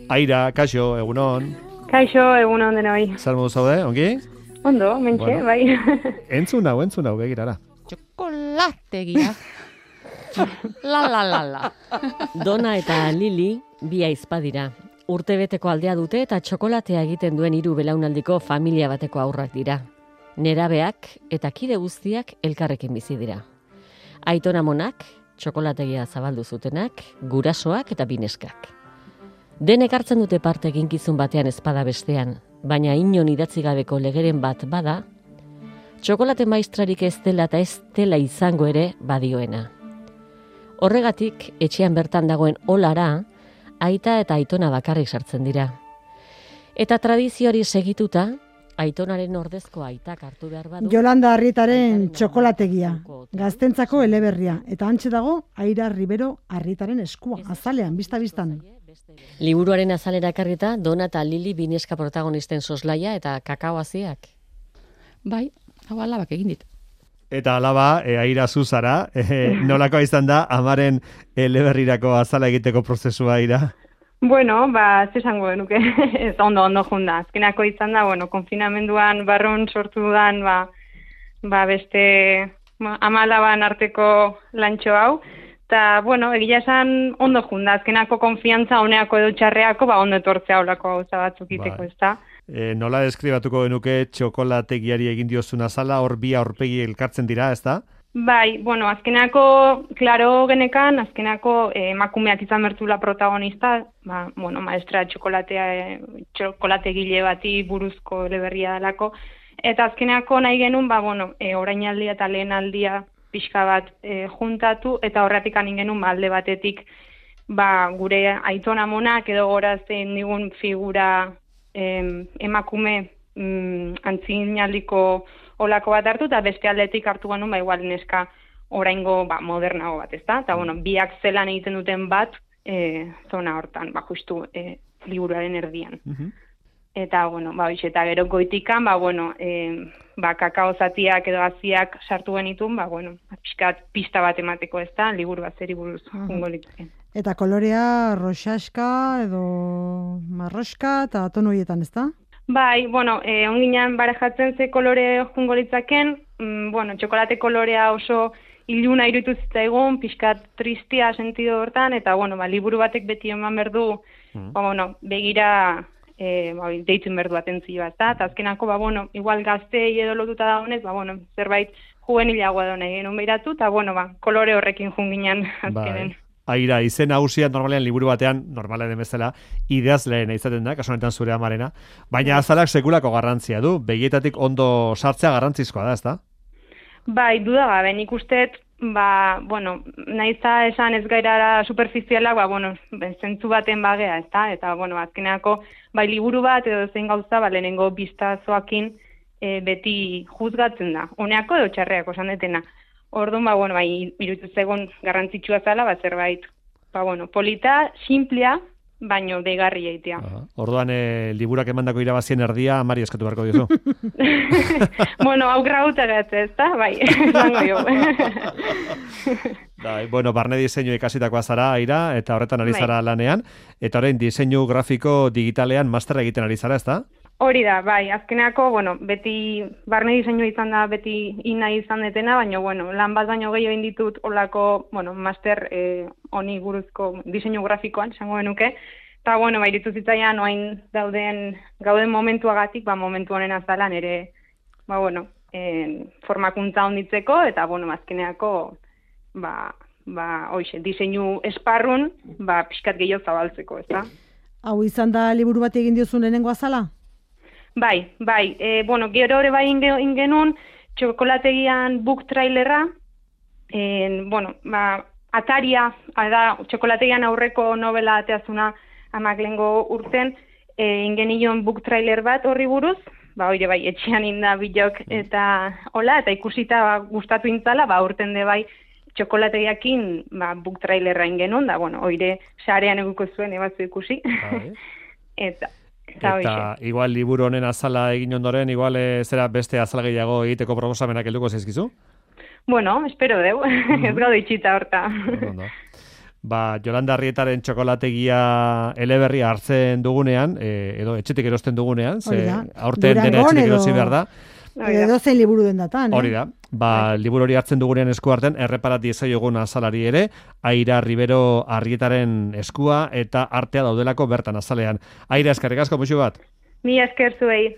Aira, kaixo, egunon. Kaixo, egunon denoi. Zer modu zaude, ongi? Ondo, mentxe, Bueno. bai. Entzun hau, begirara. Txokolategia. La. Dona eta Lili bi aizpa dira. Urtebeteko aldea dute eta txokolatea egiten duen 3 belaunaldiko familia bateko haurrak dira. Nerabeak eta kide guztiak elkarrekin bizi dira. Aiton amonak, txokolategia zabaldu zutenak, gurasoak eta bineskak. Denek hartzen dute parte eginkizun batean ezpada bestean, baina inon idatzi gabeko legeren bat bada, txokolate maistrarik ez dela eta ez dela izango ere badioena. Horregatik, etxean bertan dagoen olara, aita eta aitona bakarrik sartzen dira. Eta tradizioari segituta, aitonaren ordezko aitak hartu behar badu... Jolanda Arrietaren txokolategia, gaztentzako eleberria, eta hantxe dago Aira Ribero Arrietaren eskua, azalean, bista-bistan. Liburuaren azalera ekarrita, Dona eta Lili bineska protagonisten soslaia eta kakaoaziak. Bai, hau alabak egin dit. Eta alaba, Aira zuzara, nolako izan da, amaren eleberrirako azala egiteko prozesua, Aira? Bueno, zesango genuke, ez ondo junda. Azkenako izan da, konfinamenduan barrun sortu dudan, beste amalaban arteko lantxo hau. Eta, egia esan ondo junda. Azkenako konfiantza honeako edo txarreako, ondo etortzea olako gauza batzuk iteko, ez da? Nola deskribatuko genuke txokolategiari egin diozun azala, hor bi aurpegi elkartzen dira, ez da? Bai, azkenako, klaro genekan, azkenako emakumeak izan bertzula protagonista, maestra txokolategile bati buruzko eleberria dalako, eta azkenako nahi genuen, orainaldia eta lehenaldia pixka bat juntatu, eta horretik anin genuen alde batetik, gure aiton amonak edo gorazen digun figura emakume antzinaldiko olako bat hartu, eta beste aldetik hartu genuen, igual neska oraingo modernago bat, ezta? Eta, biak zelan egiten duten bat zona hortan, justu liburuaren erdian. Eta, eta gero goitikan, kakao zatiak edo aziak sartu genitun, pixkat pista bat emateko, ezta? Liburu bat zeri buruz jungo litzake. Eta kolorea roxaska edo marroska eta tono horietan, ezta? Bai, onginan barejatzen ze kolore jungo litzaken, txokolate kolorea oso iluna iruditu zitzaigun, pixkat tristia sentido hortan, eta, liburu batek beti eman berdu, begira deitzen berdu atentzioa, eta azkenako, igual gaztei edo lotuta dagoenez, zerbait juvenilagoa da nahi genuen behiratu, eta, kolore horrekin junginan azkenen. Aira, izen nagusia normalean liburu batean, normalean demezela, idazleena izaten da, kasu honetan zure amarena, baina azalak sekulako garrantzia du, begietatik ondo sartzea garrantzizkoa da, ezta? Bai, duda gabe, nik usteet, nahiza esan ez gairara superfizialak, zentzu baten bagea, ezta? Eta, azkeneako, liburu bat edo zein gauza, lehenengo biztazoakin beti juzgatzen da. Honeako edo txarreako esan detena. Orduan, iruditu zegoen garrantzitsua zala, zerbait, polita, simplea, baino deigarria egitea. Orduan, liburak emandako irabazien erdia, amari eskatu beharko diozu. Hau grauta gatze, ez da? Bai, zango jo. Barne diseinu ikasitakoa zara, Aira, eta horretan ari zara lanean, eta orain diseinu grafiko digitalean masterra egiten ari zara, ez da? Hori da, bai, azkeneako, beti barne diseinu izan da, beti ina izan detena, baina, lan bat baino gehiago inditut olako, master honi buruzko diseinu grafikoan, esango genuke, eta, iritu zitzaian, oain gauden momentuagatik, momentu honen azalan ere, formakuntza onditzeko, eta, azkeneako, diseinu esparrun, pixkat gehiago zabaltzeko, ez da? Hau izan da liburu bat egin diozun lehenengo azala? Bai, gero ere bai ingenun, txokolategian book trailerra, Ataria, da, txokolategian aurreko novela ateazuna amak lehengo urten, ingenion book trailer bat horri buruz, hori bai, etxean inda bilok eta hola, eta ikusita gustatu intzala, urten de bai, txokolategiakin book trailerra ingenun, da, oire sarean eguko zuen ebatzu ikusi. Eta igual liburu honen azala egin ondoren, igual zera beste azala gehiago egiteko proposamenak helduko zaizkizu? Espero deu, ez gaude itxita horta. Jolanda Arrietaren txokolategia eleberria hartzen dugunean, edo etxetik erosten dugunean, ze aurten dena etxetik erosi behar da. Edo zein liburu den datan, Hori da. Liburu hori hartzen dugunean esku hartzen, erreparat diezaiogun azalari ere, Aira Ribero Arrietaren eskua eta artea daudelako bertan azalean. Aira, eskerrik asko, muxu bat. Mila esker zuei.